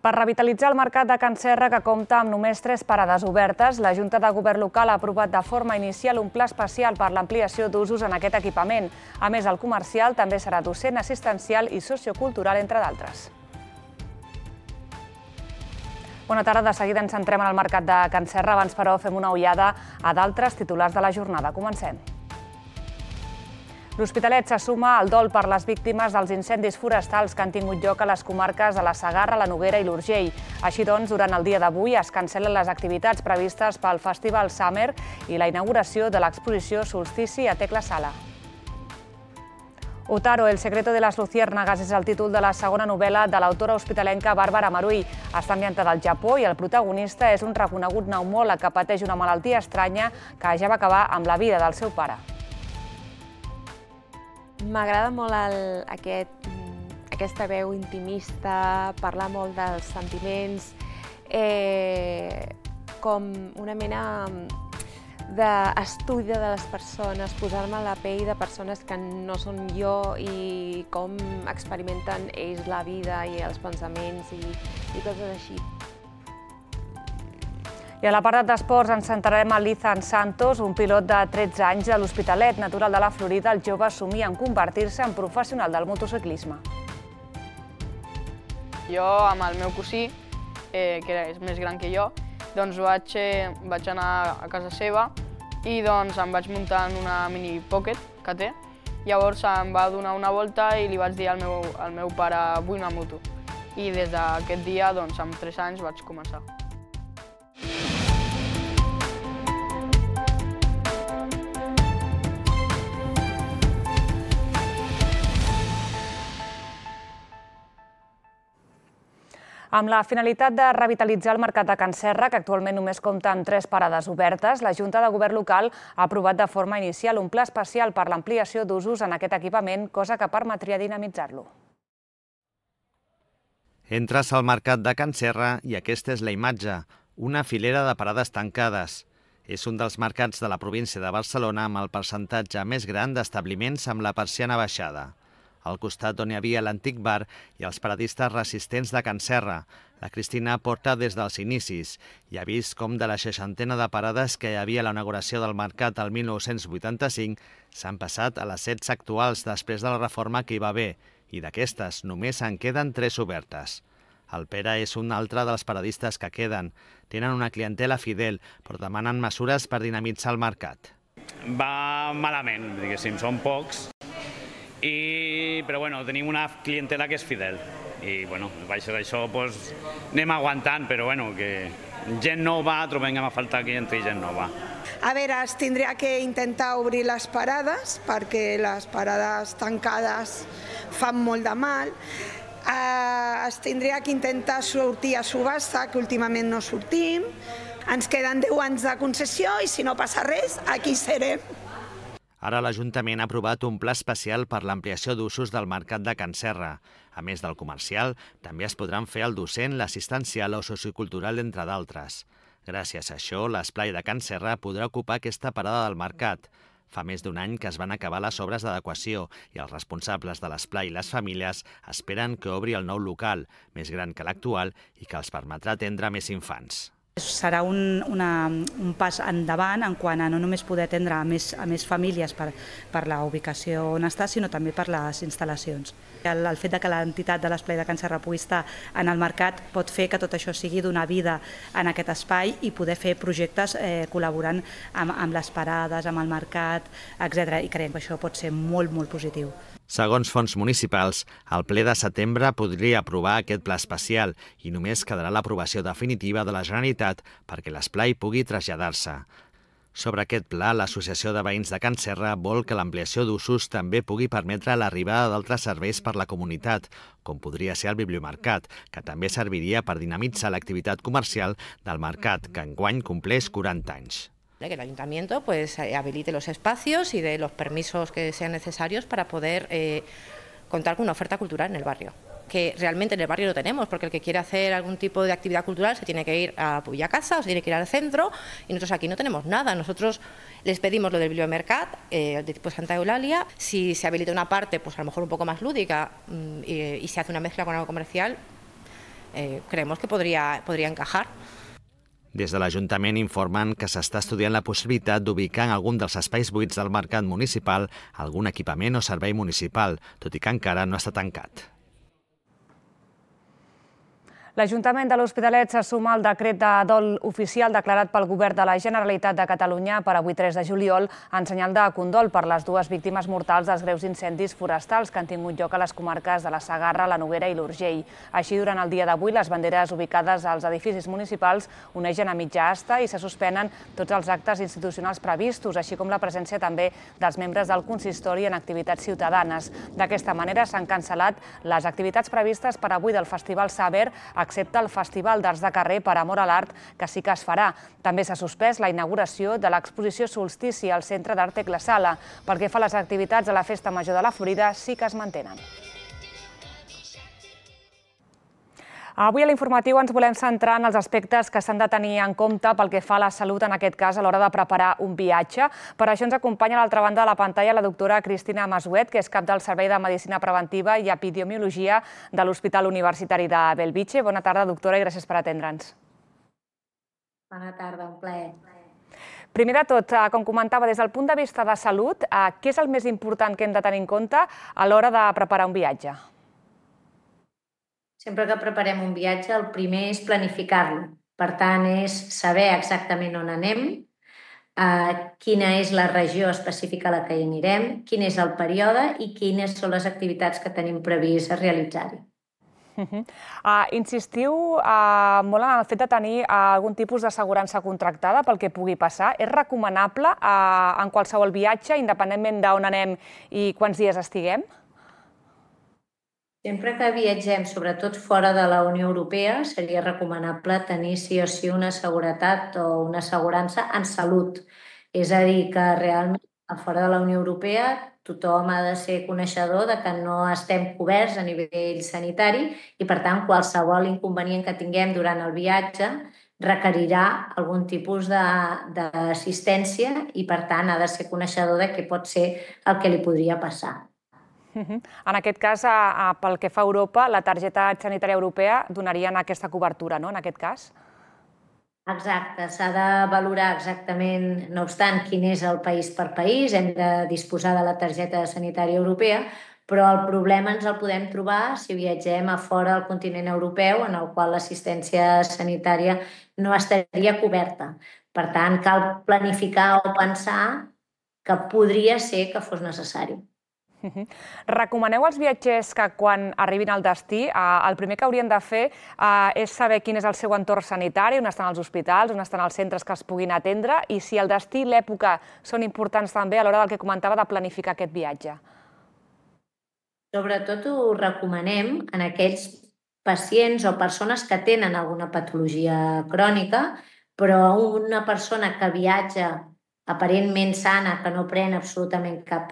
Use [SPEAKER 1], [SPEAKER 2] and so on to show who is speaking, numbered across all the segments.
[SPEAKER 1] Per revitalitzar el mercat de Can Serra, que compta amb només 3 parades obertes, la Junta de Govern local ha aprovat de forma inicial un pla especial per l'ampliació d'usos en aquest equipament. A més, el comercial també serà docent, assistencial i sociocultural, entre d'altres. Bona tarda, de seguida ens centrem en el mercat de Can Serra. Abans, però, fem una ullada a d'altres titulars de la jornada. Comencem. L'Hospitalet se suma al dol per les víctimes dels incendis forestals que han tingut lloc a les comarques de la Segarra, la Noguera i l'Urgell. Així doncs, durant el dia d'avui es cancel·len les activitats previstes pel Festival Summer i la inauguració de l'exposició Solstici a Tecla Sala. Otaro, el secreto de las luciérnagas, és el títol de la segona novel·la de l'autora hospitalenca Bàrbara Marull. Està ambientada al Japó i el protagonista és un reconegut pneumòleg que pateix una malaltia estranya que ja va acabar amb la vida del seu pare.
[SPEAKER 2] M'agrada molt aquesta veu intimista, parlar molt dels sentiments, com una mena d'estudi de les persones, posar-me a la pell de persones que no són jo i com experimenten ells la vida i els pensaments i coses així.
[SPEAKER 1] I a l'apartat d'esports ens centrarem en l'Ethan Santos, un pilot de 13 anys de l'Hospitalet, natural de la Florida. El jove somia en convertir-se en professional del motociclisme.
[SPEAKER 3] Jo, amb el meu cosí, que és més gran que jo, doncs vaig anar a casa seva i doncs em vaig muntar en una mini pocket que té. Llavors em va donar una volta i li vaig dir al meu pare vull una moto. I des d'aquest dia, doncs, amb 3 anys vaig començar.
[SPEAKER 1] Amb la finalitat de revitalitzar el mercat de Can Serra, que actualment només compta amb 3 parades obertes, la Junta de Govern local ha aprovat de forma inicial un pla especial per l'ampliació d'usos en aquest equipament, cosa que permetria dinamitzar-lo.
[SPEAKER 4] Entres al mercat de Can Serra i aquesta és la imatge, una filera de parades tancades. És un dels mercats de la província de Barcelona amb el percentatge més gran d'establiments amb la persiana baixada. Al costat on hi havia l'antic bar i els paradistes resistents de Can Serra. La Cristina porta des dels inicis i ha vist com de la 60ena de parades que hi havia a la inauguració del mercat el 1985 s'han passat a les 16 actuals després de la reforma que hi va haver i d'aquestes només en queden 3 obertes. El Pere és un altre dels paradistes que queden. Tenen una clientela fidel, però demanen mesures per dinamitzar el mercat.
[SPEAKER 5] Va malament, diguéssim, són pocs. Però bueno, tenim una clientela que és fidel i bueno, baix d'això anem aguantant, però bueno, que gent nova, trobem a faltar que entri gent nova.
[SPEAKER 6] A veure, es tindria que intentar obrir les parades perquè les parades tancades fan molt de mal. Es tindria que intentar sortir a subhasta, que últimament no sortim. Ens queden 10 anys de concessió i si no passa res, aquí serem.
[SPEAKER 4] Ara l'Ajuntament ha aprovat un pla especial per l'ampliació d'usos del mercat de Can Serra. A més del comercial, també es podran fer el docent, l'assistencial o sociocultural, entre d'altres. Gràcies a això, l'esplai de Can Serra podrà ocupar aquesta parada del mercat. Fa més d'un any que es van acabar les obres d'adequació i els responsables de l'esplai i les famílies esperen que obri el nou local, més gran que l'actual i que els permetrà atendre més infants.
[SPEAKER 7] Serà un pas endavant en quant a no només poder atendre a més famílies per la ubicació on està, sinó també per les instal·lacions. El fet que l'entitat de l'esplai de Can Serra pugui estar en el mercat pot fer que tot això sigui donar vida en aquest espai i poder fer projectes col·laborant amb les parades, amb el mercat, etc. I creiem que això pot ser molt, molt positiu.
[SPEAKER 4] Segons fons municipals, el ple de setembre podria aprovar aquest pla especial i només quedarà l'aprovació definitiva de la Generalitat perquè l'esplai pugui traslladar-se. Sobre aquest pla, l'Associació de Veïns de Can Serra vol que l'ampliació d'usos també pugui permetre l'arribada d'altres serveis per la comunitat, com podria ser el bibliomercat, que també serviria per dinamitzar l'activitat comercial del mercat, que enguany compleix 40 anys.
[SPEAKER 8] Que el ayuntamiento habilite los espacios y dé los permisos que sean necesarios para poder contar con una oferta cultural en el barrio. Que realmente en el barrio lo tenemos, porque el que quiere hacer algún tipo de actividad cultural se tiene que ir a Puyacasa o se tiene que ir al centro y nosotros aquí no tenemos nada. Nosotros les pedimos lo del bibliomercat de tipo Santa Eulalia. Si se habilita una parte, pues a lo mejor un poco más lúdica y se hace una mezcla con algo comercial, creemos que podría encajar.
[SPEAKER 4] Des de l'Ajuntament informen que s'està estudiant la possibilitat d'ubicar en algun dels espais buits del mercat municipal algun equipament o servei municipal, tot i que encara no està tancat.
[SPEAKER 1] L'Ajuntament de l'Hospitalet se suma al decret de dol oficial declarat pel Govern de la Generalitat de Catalunya per avui 3 de juliol en senyal de condol per les dues víctimes mortals dels greus incendis forestals que han tingut lloc a les comarques de la Segarra, la Noguera i l'Urgell. Així, durant el dia d'avui, les banderes ubicades als edificis municipals onegen a mitja asta i se suspenen tots els actes institucionals previstos, així com la presència també dels membres del consistori en activitats ciutadanes. D'aquesta manera s'han cancel·lat les activitats previstes per avui del Festival Saber, excepte el Festival d'Arts de Carrer per amor a l'art, que sí que es farà. També s'ha suspès la inauguració de l'exposició Solstici al Centre d'Àrtec La Sala. Pel que fa a les activitats de la Festa Major de la Florida, sí que es mantenen. Avui a l'informatiu ens volem centrar en els aspectes que s'han de tenir en compte pel que fa a la salut, en aquest cas, a l'hora de preparar un viatge. Per això ens acompanya a l'altra banda de la pantalla la doctora Cristina Masuet, que és cap del Servei de Medicina Preventiva i Epidemiologia de l'Hospital Universitari de Bellvitge. Bona tarda, doctora, i gràcies per atendre'ns.
[SPEAKER 9] Bona tarda, un plaer.
[SPEAKER 1] Primer de tot, com comentava, des del punt de vista de salut, què és el més important que hem de tenir en compte a l'hora de preparar un viatge?
[SPEAKER 9] Sempre que preparem un viatge, el primer és planificar-lo. Per tant, és saber exactament on anem, quina és la regió específica a la que hi anirem, quin és el període i quines són les activitats que tenim previst realitzar-hi.
[SPEAKER 1] Insistiu molt en el fet de tenir algun tipus d'assegurança contractada pel que pugui passar. És recomanable en qualsevol viatge, independentment d'on anem i quants dies estiguem?
[SPEAKER 9] Sempre que viatgem, sobretot fora de la Unió Europea, seria recomanable tenir sí o sí una seguretat o una assegurança en salut. És a dir, que realment a fora de la Unió Europea tothom ha de ser coneixedor de que no estem coberts a nivell sanitari i, per tant, qualsevol inconvenient que tinguem durant el viatge requerirà algun tipus d'assistència i, per tant, ha de ser coneixedor de què pot ser el que li podria passar.
[SPEAKER 1] En aquest cas, pel que fa a Europa, la targeta sanitària europea donarien aquesta cobertura, no?, en aquest cas?
[SPEAKER 9] Exacte, s'ha de valorar exactament, no obstant, quin és el país per país, hem de disposar de la targeta sanitària europea, però el problema ens el podem trobar si viatgem a fora del continent europeu, en el qual l'assistència sanitària no estaria coberta. Per tant, cal planificar o pensar que podria ser que fos necessari.
[SPEAKER 1] Recomaneu als viatgers que quan arribin al destí el primer que haurien de fer és saber quin és el seu entorn sanitari, on estan els hospitals, on estan els centres que els puguin atendre i si el destí i l'època són importants també a l'hora del que comentava de planificar aquest viatge.
[SPEAKER 9] Sobretot ho recomanem en aquells pacients o persones que tenen alguna patologia crònica, però una persona que viatja aparentment sana, que no pren absolutament cap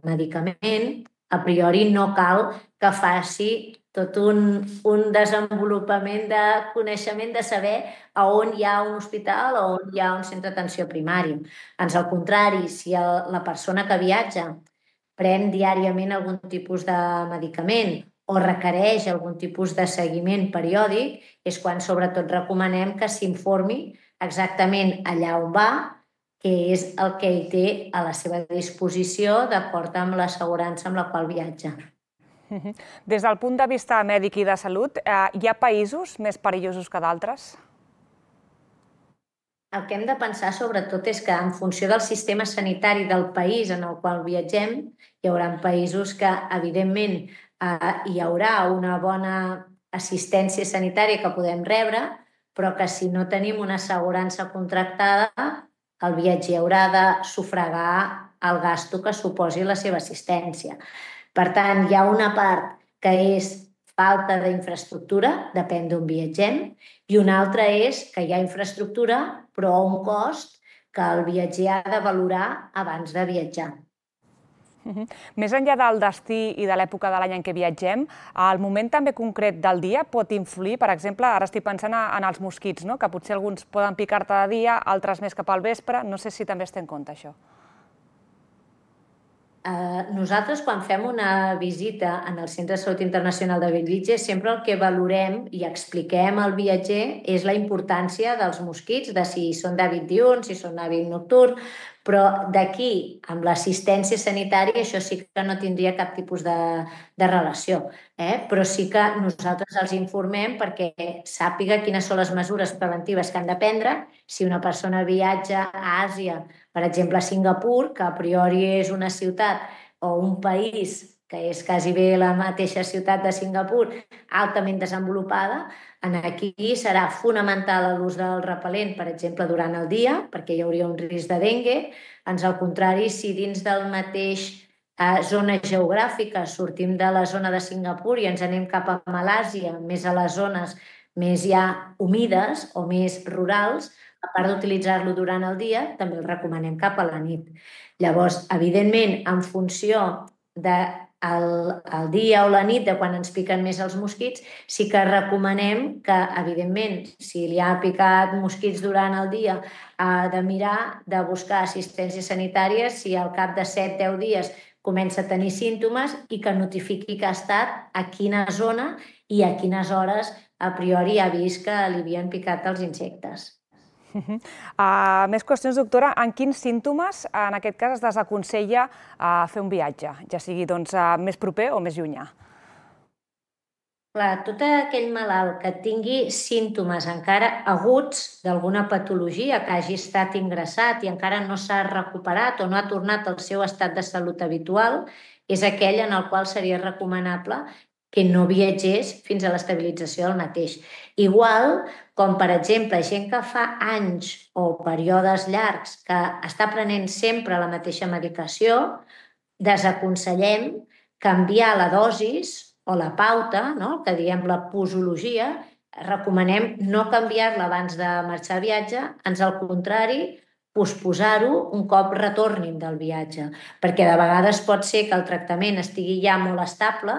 [SPEAKER 9] medicament, a priori no cal que faci tot un desenvolupament de coneixement de saber a on hi ha un hospital o on hi ha un centre d'atenció primari. Ans al contrari, si la persona que viatja pren diàriament algun tipus de medicament o requereix algun tipus de seguiment periòdic, és quan sobretot recomanem que s'informi exactament allà on va, que és el que ell té a la seva disposició d'acord amb l'assegurança amb la qual viatja.
[SPEAKER 1] Des del punt de vista mèdic i de salut, hi ha països més perillosos que d'altres?
[SPEAKER 9] El que hem de pensar sobretot és que en funció del sistema sanitari del país en el qual viatgem, hi haurà països que, evidentment, hi haurà una bona assistència sanitària que podem rebre, però que si no tenim una assegurança contractada, el viatger haurà de sufragar el gasto que suposi la seva assistència. Per tant, hi ha una part que és falta d'infraestructura, depèn d'on viatgem, i una altra és que hi ha infraestructura, però a un cost que el viatger ha de valorar abans de viatjar.
[SPEAKER 1] Més enllà del destí i de l'època de l'any en què viatgem, el moment també concret del dia pot influir, per exemple, ara estic pensant en els mosquits, que potser alguns poden picar-te de dia, altres més cap al vespre, no sé si també es té en compte això.
[SPEAKER 9] nosaltres, quan fem una visita en el Centre de Salut Internacional de Bellvitge, sempre el que valorem i expliquem al viatger és la importància dels mosquits, de si són d'hàbit diürn, si són d'hàbit nocturn, però d'aquí, amb l'assistència sanitària, això sí que no tindria cap tipus de relació. Però sí que nosaltres els informem perquè sàpiga quines són les mesures preventives que han de prendre si una persona viatja a Àsia, per exemple a Singapur, que a priori és una ciutat o un país que és quasi bé la mateixa ciutat de Singapur, altament desenvolupada, aquí serà fonamental l'ús del repel·lent, per exemple, durant el dia, perquè hi hauria un risc de dengue. Ans al contrari, si dins del mateix zona geogràfica sortim de la zona de Singapur i ens anem cap a Malàsia, més a les zones més ja humides o més rurals, a part d'utilitzar-lo durant el dia, també el recomanem cap a la nit. Llavors, evidentment, en funció del dia o la nit, de quan ens piquen més els mosquits, sí que recomanem que, evidentment, si li ha picat mosquits durant el dia, ha de mirar de buscar assistència sanitària si al cap de 7-10 dies comença a tenir símptomes i que notifiqui que ha estat a quina zona i a quines hores a priori ha vist que li havien picat els insectes.
[SPEAKER 1] Més qüestions, doctora. En quins símptomes, en aquest cas, es desaconsella fer un viatge, ja sigui més proper o més llunyà?
[SPEAKER 9] Clar, tot aquell malalt que tingui símptomes encara aguts d'alguna patologia, que hagi estat ingressat i encara no s'ha recuperat o no ha tornat al seu estat de salut habitual, és aquell en el qual seria recomanable que no viatgés fins a l'estabilització del mateix. Igual com, per exemple, gent que fa anys o períodes llargs que està prenent sempre la mateixa medicació, desaconsellem canviar la dosis o la pauta, que diem la posologia, recomanem no canviar-la abans de marxar a viatge, ans al contrari, posposar-ho un cop retornin del viatge, perquè de vegades pot ser que el tractament estigui ja molt estable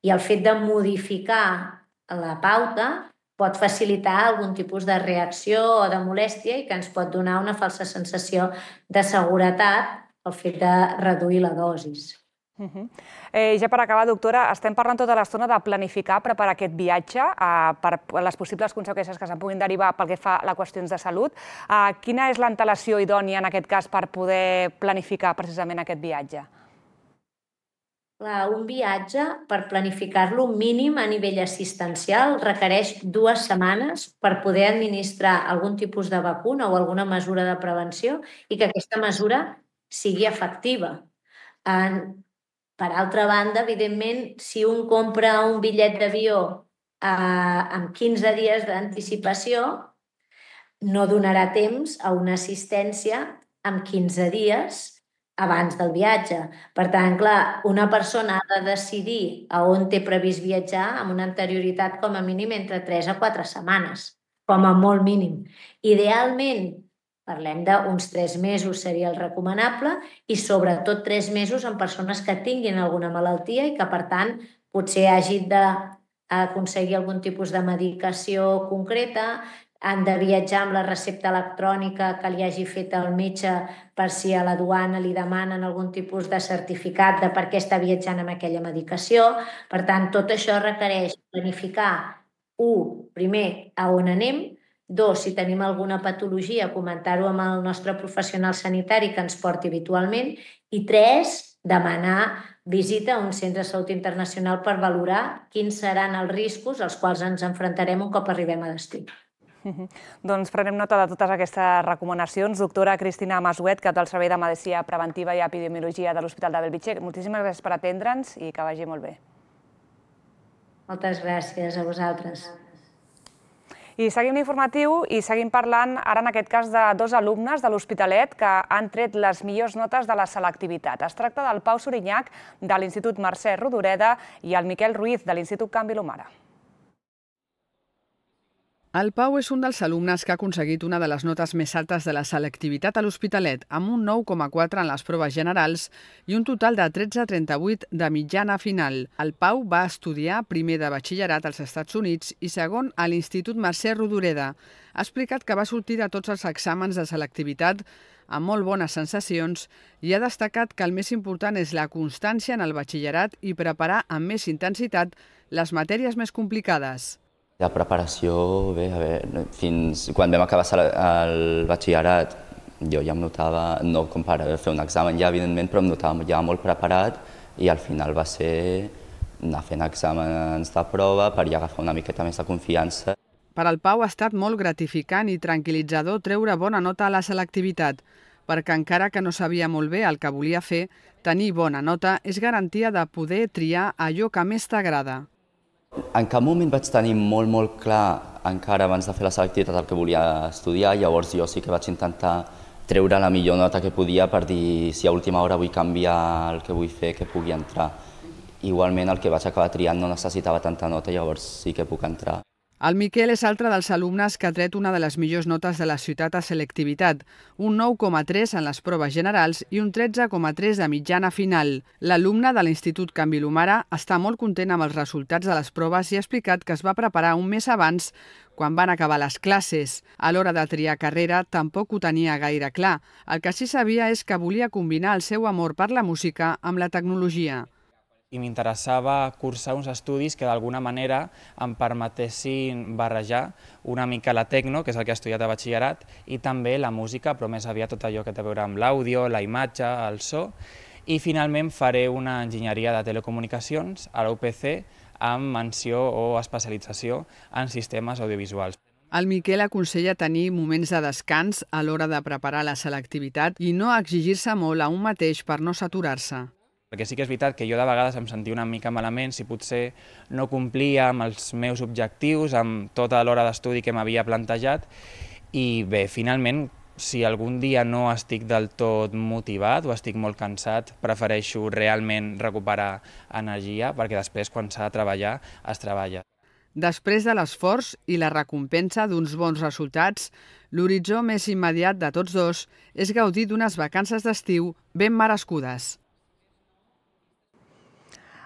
[SPEAKER 9] i el fet de modificar la pauta pot facilitar algun tipus de reacció o de molèstia i que ens pot donar una falsa sensació de seguretat el fet de reduir la dosis.
[SPEAKER 1] Ja per acabar, doctora, estem parlant tota l'estona de planificar, preparar aquest viatge per les possibles conseqüències que se'n puguin derivar pel que fa a les qüestions de salut. Quina és l'antelació idònia en aquest cas per poder planificar precisament aquest viatge?
[SPEAKER 9] Un viatge, per planificar-lo mínim a nivell assistencial, requereix 2 setmanes per poder administrar algun tipus de vacuna o alguna mesura de prevenció i que aquesta mesura sigui efectiva. Per altra banda, evidentment, si un compra un bitllet d'avió amb 15 dies d'anticipació, no donarà temps a una assistència amb 15 dies abans del viatge. Per tant, clar, una persona ha de decidir a on té previst viatjar amb una anterioritat com a mínim entre 3 a 4 setmanes, com a molt mínim. Idealment, parlem d'uns 3 mesos seria el recomanable i sobretot 3 mesos en persones que tinguin alguna malaltia i que, per tant, potser hagin d'aconseguir algun tipus de medicació concreta, han de viatjar amb la recepta electrònica que li hagi fet el metge per si a la duana li demanen algun tipus de certificat de per què està viatjant amb aquella medicació. Per tant, tot això requereix planificar, 1, primer, a on anem, 2, si tenim alguna patologia, comentar-ho amb el nostre professional sanitari que ens porti habitualment, i 3, demanar visita a un centre de salut internacional per valorar quins seran els riscos als quals ens enfrontarem un cop arribem a destí.
[SPEAKER 1] Doncs prenem nota de totes aquestes recomanacions. Doctora Cristina Masuet, cap del Servei de Medicina Preventiva i Epidemiologia de l'Hospital de Bellvitge, moltíssimes gràcies per atendre'ns i que vagi molt bé.
[SPEAKER 9] Moltes gràcies a vosaltres.
[SPEAKER 1] I seguim l'informatiu i seguim parlant ara en aquest cas de 2 alumnes de l'Hospitalet que han tret les millors notes de la selectivitat. Es tracta del Pau Sorinyac de l'Institut Mercè Rodoreda i el Miquel Ruiz de l'Institut Can Vilomara.
[SPEAKER 10] El Pau és un dels alumnes que ha aconseguit una de les notes més altes de la selectivitat a l'Hospitalet, amb un 9,4 en les proves generals i un total de 13,38 de mitjana final. El Pau va estudiar primer de batxillerat als Estats Units i segon a l'Institut Mercè Rodoreda. Ha explicat que va sortir de tots els exàmens de selectivitat amb molt bones sensacions, i ha destacat que el més important és la constància en el batxillerat i preparar amb més intensitat les matèries més complicades.
[SPEAKER 11] La preparació, bé, fins quan vam acabar el batxillerat, jo ja em notava, no com per fer un examen ja, evidentment, però em notava ja molt preparat i al final va ser anar fent exàmens de prova per ja agafar una miqueta més de confiança.
[SPEAKER 10] Per al Pau ha estat molt gratificant i tranquil·litzador treure bona nota a la selectivitat, perquè encara que no sabia molt bé el que volia fer, tenir bona nota és garantia de poder triar allò que més t'agrada.
[SPEAKER 11] En cap moment vaig tenir molt clar, encara abans de fer la selectivitat, el que volia estudiar, llavors jo sí que vaig intentar treure la millor nota que podia per dir si a última hora vull canviar el que vull fer, que pugui entrar. Igualment el que vaig acabar triant no necessitava tanta nota, llavors sí que puc entrar.
[SPEAKER 10] El Miquel és altre dels alumnes que ha tret una de les millors notes de la ciutat a selectivitat, un 9,3 en les proves generals i un 13,3 de mitjana final. L'alumne de l'Institut Can Vilomara està molt content amb els resultats de les proves i ha explicat que es va preparar un mes abans, quan van acabar les classes. A l'hora de triar carrera tampoc ho tenia gaire clar. El que sí sabia és que volia combinar el seu amor per la música amb la tecnologia.
[SPEAKER 12] I m'interessava cursar uns estudis que d'alguna manera em permetessin barrejar una mica la tecno, que és el que he estudiat a batxillerat, i també la música, però més aviat tot allò que té a veure amb l'àudio, la imatge, el so. I finalment faré una enginyeria de telecomunicacions a la UPC amb menció o especialització en sistemes audiovisuals.
[SPEAKER 10] El Miquel aconsella tenir moments de descans a l'hora de preparar la selectivitat i no exigir-se molt a un mateix per no saturar-se.
[SPEAKER 12] Perquè sí que és veritat que jo de vegades em sentia una mica malament si potser no complia amb els meus objectius, amb tota l'hora d'estudi que m'havia plantejat. I bé, finalment, si algun dia no estic del tot motivat o estic molt cansat, prefereixo realment recuperar energia, perquè després, quan s'ha de treballar, es treballa.
[SPEAKER 10] Després de l'esforç i la recompensa d'uns bons resultats, l'horitzó més immediat de tots dos és gaudir d'unes vacances d'estiu ben merescudes.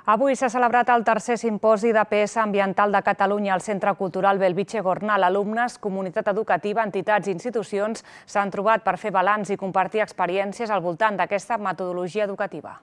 [SPEAKER 1] Avui s'ha celebrat el tercer simposi d'APS ambiental de Catalunya al Centre Cultural Bellvitge Gornal. Alumnes, comunitat educativa, entitats i institucions s'han trobat per fer balanç i compartir experiències al voltant d'aquesta metodologia educativa.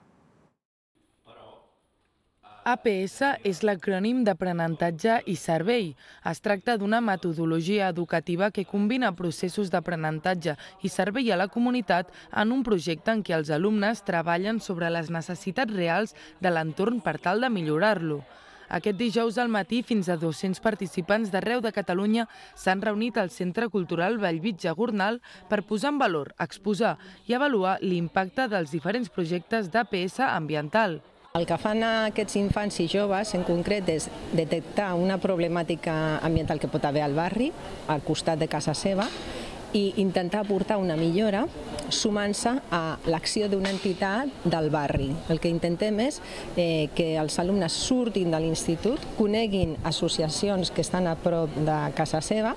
[SPEAKER 13] APS és l'acrònim d'aprenentatge i servei. Es tracta d'una metodologia educativa que combina processos d'aprenentatge i servei a la comunitat en un projecte en què els alumnes treballen sobre les necessitats reals de l'entorn per tal de millorar-lo. Aquest dijous al matí, fins a 200 participants d'arreu de Catalunya s'han reunit al Centre Cultural Bellvitge Gornal per posar en valor, exposar i avaluar l'impacte dels diferents projectes d'APS ambiental.
[SPEAKER 14] El que fan aquests infants i joves, en concret, és detectar una problemàtica ambiental que pot haver al barri, al costat de casa seva, i intentar aportar una millora sumant-se a l'acció d'una entitat del barri. El que intentem és que els alumnes surtin de l'institut, coneguin associacions que estan a prop de casa seva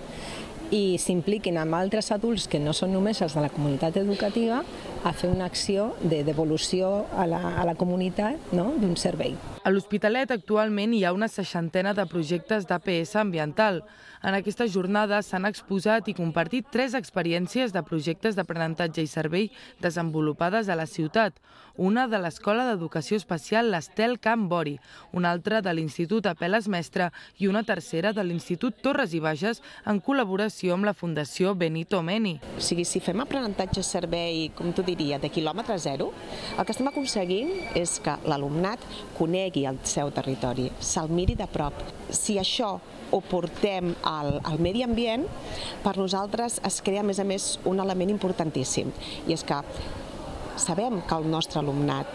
[SPEAKER 14] i s'impliquin amb altres adults que no són només els de la comunitat educativa a fer una acció de devolució a la comunitat d'un servei.
[SPEAKER 13] A l'Hospitalet actualment hi ha una 60ena de projectes d'APS ambiental. En aquesta jornada s'han exposat i compartit 3 experiències de projectes d'aprenentatge i servei desenvolupades a la ciutat. Una de l'Escola d'Educació Especial l'Estel Can Bori, una altra de l'Institut Apel·les Mestre i una tercera de l'Institut Torres i Bages en col·laboració amb la Fundació Benito Meni.
[SPEAKER 15] O sigui, si fem aprenentatge-servei, com tu diria, de quilòmetre zero, el que estem aconseguint és que l'alumnat conegui el seu territori, se'l miri de prop. Si això ho portem al medi ambient, per nosaltres es crea, a més, un element importantíssim, i és que sabem que el nostre alumnat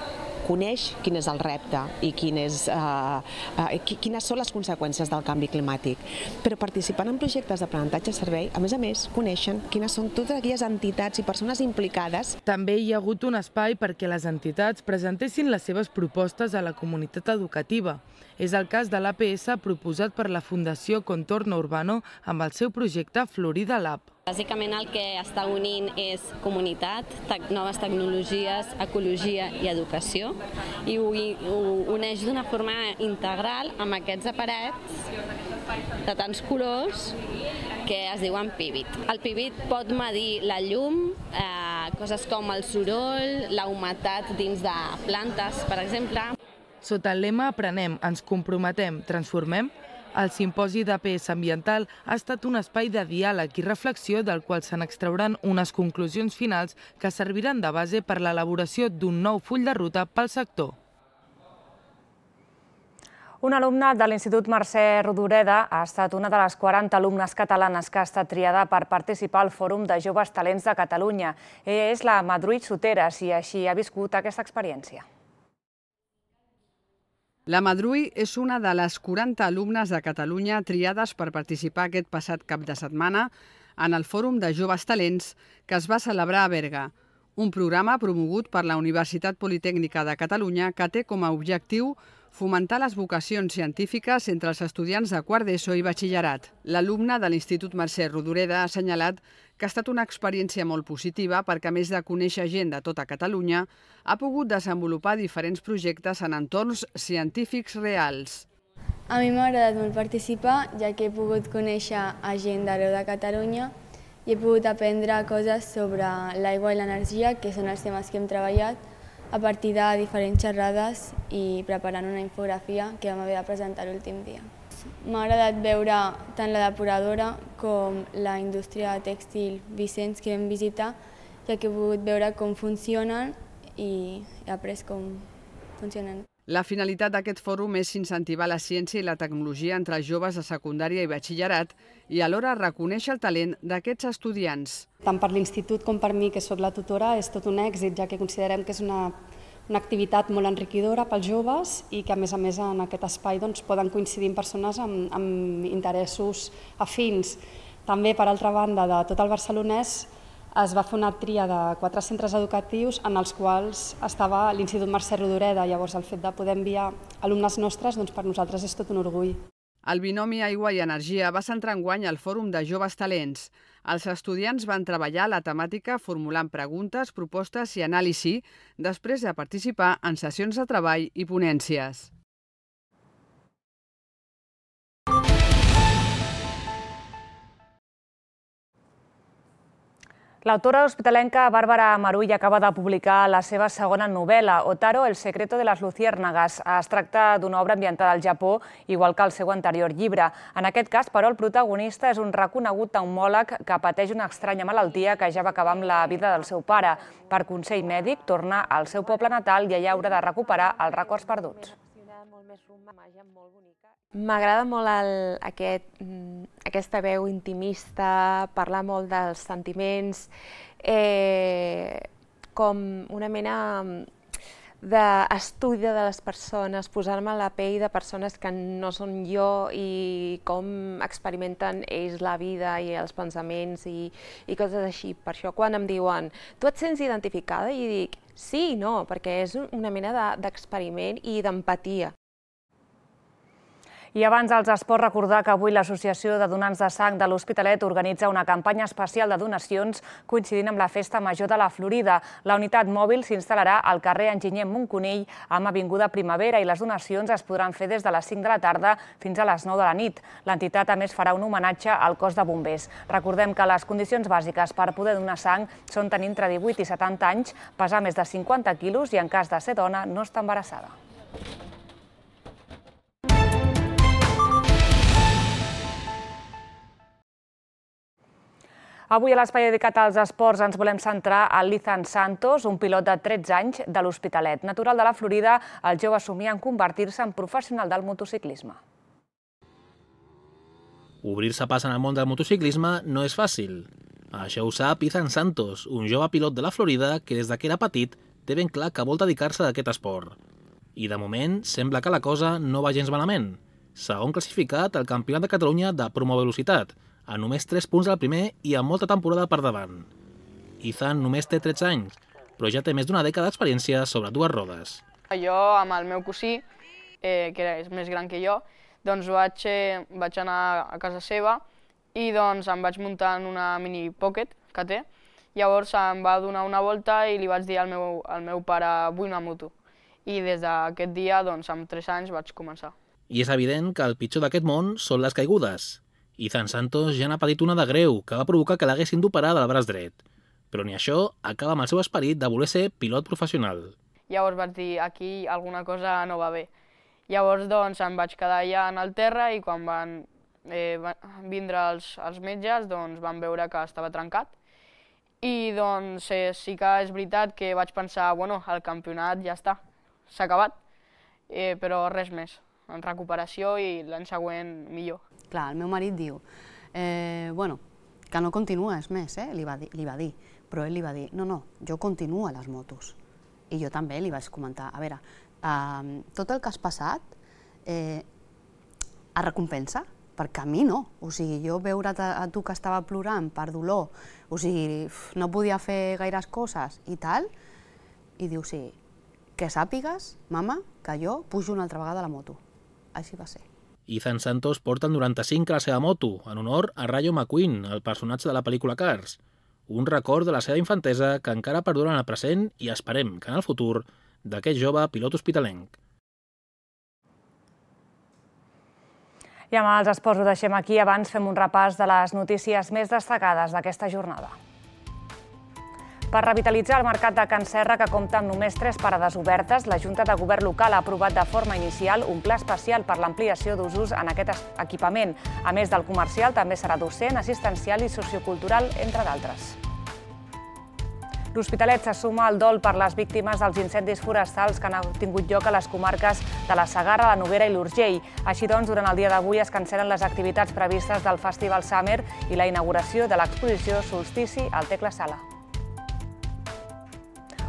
[SPEAKER 15] coneix quin és el repte i quines són les conseqüències del canvi climàtic. Però participant en projectes d'aprenentatge-servei, a més, coneixen quines són totes aquelles entitats i persones implicades.
[SPEAKER 13] També hi ha hagut un espai perquè les entitats presentessin les seves propostes a la comunitat educativa. És el cas de l'APS proposat per la Fundació Contorno Urbano amb el seu projecte Florida Lab.
[SPEAKER 16] Bàsicament el que està unint és comunitat, noves tecnologies, ecologia i educació, i ho uneix d'una forma integral amb aquests aparells de tants colors que es diuen Pivot. El Pivot pot medir la llum, coses com el soroll, la humitat dins de plantes, per exemple.
[SPEAKER 13] Sota el lema Aprenem, ens comprometem, transformem, el simposi d'APS ambiental ha estat un espai de diàleg i reflexió del qual se n'extrauran unes conclusions finals que serviran de base per l'elaboració d'un nou full de ruta pel sector.
[SPEAKER 1] Un alumne de l'Institut Mercè Rodoreda ha estat una de les 40 alumnes catalanes que ha estat triada per participar al Fòrum de Joves Talents de Catalunya. Ella és la Madruit Soteras i així ha viscut aquesta experiència.
[SPEAKER 10] La Madrui és una de les 40 alumnes de Catalunya triades per participar aquest passat cap de setmana en el Fòrum de Joves Talents que es va celebrar a Berga, un programa promogut per la Universitat Politècnica de Catalunya que té com a objectiu fomentar les vocacions científiques entre els estudiants de quart d'ESO i batxillerat. L'alumne de l'Institut Mercè Rodoreda ha assenyalat que ha estat una experiència molt positiva perquè, a més de conèixer gent de tota Catalunya, ha pogut desenvolupar diferents projectes en entorns científics reals.
[SPEAKER 17] A mi m'ha agradat molt participar, ja que he pogut conèixer a gent d'arreu de Catalunya i he pogut aprendre coses sobre l'aigua i l'energia, que són els temes que hem treballat, a partir de diferents xerrades i preparant una infografia que vam haver de presentar l'últim dia. M'ha agradat veure tant la depuradora com la indústria tèxtil Vicenç que vam visitar, ja que he pogut veure com funcionen i he après com funcionen.
[SPEAKER 10] La finalitat d'aquest fòrum és incentivar la ciència i la tecnologia entre els joves de secundària i batxillerat i alhora reconèixer el talent d'aquests estudiants.
[SPEAKER 18] Tant per l'Institut com per mi, que sóc la tutora, és tot un èxit, ja que considerem que és una activitat molt enriquidora pels joves i que, a més, en aquest espai poden coincidir amb persones amb interessos afins. També, per altra banda, de tot el barcelonès, es va fer una tria de 4 centres educatius en els quals estava l'Institut Mercè Rodoreda. Llavors, el fet de poder enviar alumnes nostres, per nosaltres és tot un orgull.
[SPEAKER 10] El binomi aigua i energia va centrar enguany al Fòrum de Joves Talents. Els estudiants van treballar la temàtica formulant preguntes, propostes i anàlisi després de participar en sessions de treball i ponències.
[SPEAKER 1] L'autora hospitalenca Bàrbara Marull acaba de publicar la seva segona novel·la, Otaro, el secreto de las luciérnagas. Es tracta d'una obra ambientada al Japó, igual que el seu anterior llibre. En aquest cas, però, el protagonista és un reconegut pneumòleg que pateix una estranya malaltia que ja va acabar amb la vida del seu pare. Per consell mèdic, torna al seu poble natal i allà haurà de recuperar els records perduts.
[SPEAKER 2] M'agrada molt aquesta veu intimista, parlar molt dels sentiments, com una mena d'estudi de les persones, posar-me a la pell de persones que no són jo i com experimenten ells la vida i els pensaments i coses així. Per això quan em diuen, tu et sents identificada? I dic, sí i no, perquè és una mena d'experiment i d'empatia.
[SPEAKER 1] I abans dels esports, recordar que avui l'Associació de Donants de Sang de l'Hospitalet organitza una campanya especial de donacions coincidint amb la Festa Major de la Florida. La unitat mòbil s'instal·larà al carrer Enginyer Montconill amb Avinguda Primavera i les donacions es podran fer des de les 5 de la tarda fins a les 9 de la nit. L'entitat, a més, farà un homenatge al cos de bombers. Recordem que les condicions bàsiques per poder donar sang són tenir entre 18 i 70 anys, pesar més de 50 quilos i, en cas de ser dona, no estar embarassada. Avui a l'espai dedicat als esports ens volem centrar en l'Ethan Santos, un pilot de 13 anys de l'Hospitalet. Natural de la Florida, el jove somia en convertir-se en professional del motociclisme.
[SPEAKER 19] Obrir-se pas en el món del motociclisme no és fàcil. Això ho sap Ethan Santos, un jove pilot de la Florida que des que era petit té ben clar que vol dedicar-se a aquest esport. I de moment sembla que la cosa no va gens malament. Segon classificat al Campionat de Catalunya de promovelocitat, a només 3 punts del primer i amb molta temporada per davant. Ethan només té 13 anys, però ja té més d'una dècada d'experiència sobre 2 rodes.
[SPEAKER 3] Jo, amb el meu cosí, que és més gran que jo, doncs vaig anar a casa seva i doncs em vaig muntar en una mini pocket que té. Llavors em va donar una volta i li vaig dir al meu pare, vull una moto. I des d'aquest dia, doncs, amb 3 anys vaig començar.
[SPEAKER 19] I és evident que el pitjor d'aquest món són les caigudes. Ethan Santos ja n'ha patit una de greu, que va provocar que l'haguessin d'operar del braç dret. Però ni això acaba amb el seu esperit de voler ser pilot professional.
[SPEAKER 3] Llavors vaig dir, aquí alguna cosa no va bé. Llavors doncs em vaig quedar allà en el terra i quan van vindre els metges doncs van veure que estava trencat. I doncs sí que és veritat que vaig pensar, bueno, el campionat ja està, s'ha acabat, però res més, en recuperació i l'any següent millor.
[SPEAKER 20] Clar, el meu marit diu, bueno, que no continues més, li va dir, però ell li va dir, no, jo continuo a les motos. I jo també li vaig comentar, a veure, tot el que has passat es recompensa, perquè a mi no. O sigui, jo veure't a tu que estava plorant per dolor, o sigui, no podia fer gaires coses i tal, i diu, sí, que sàpigues, mama, que jo pujo una altra vegada a la moto. Així va ser.
[SPEAKER 19] Ethan Santos porta el 95 a la seva moto, en honor a Rayo McQueen, el personatge de la pel·lícula Cars. Un record de la seva infantesa que encara perdura en el present i esperem que en el futur d'aquest jove pilot hospitalenc.
[SPEAKER 1] I amb els esports ho deixem aquí. Abans fem un repàs de les notícies més destacades d'aquesta jornada. Per revitalitzar el mercat de Can Serra, que compta amb només 3 parades obertes, la Junta de Govern local ha aprovat de forma inicial un pla especial per l'ampliació d'usos en aquest equipament. A més del comercial, també serà docent, assistencial i sociocultural, entre d'altres. L'Hospitalet se suma al dol per les víctimes dels incendis forestals que han tingut lloc a les comarques de la Segarra, la Noguera i l'Urgell. Així doncs, durant el dia d'avui es cancel·len les activitats previstes del Festival Summer i la inauguració de l'exposició Solstici al Tecla Sala.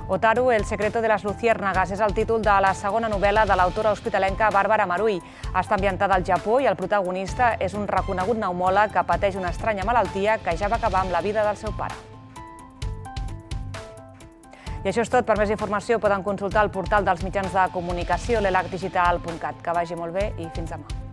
[SPEAKER 1] Otaru, el secreto de las luciérnagas, és el títol de la segona novel·la de l'autora hospitalenca Bàrbara Marull. Està ambientada al Japó i el protagonista és un reconegut pneumòleg que pateix una estranya malaltia que ja va acabar amb la vida del seu pare. I això és tot. Per més informació poden consultar el portal dels mitjans de comunicació, l'elacdigital.cat. Que vagi molt bé i fins demà.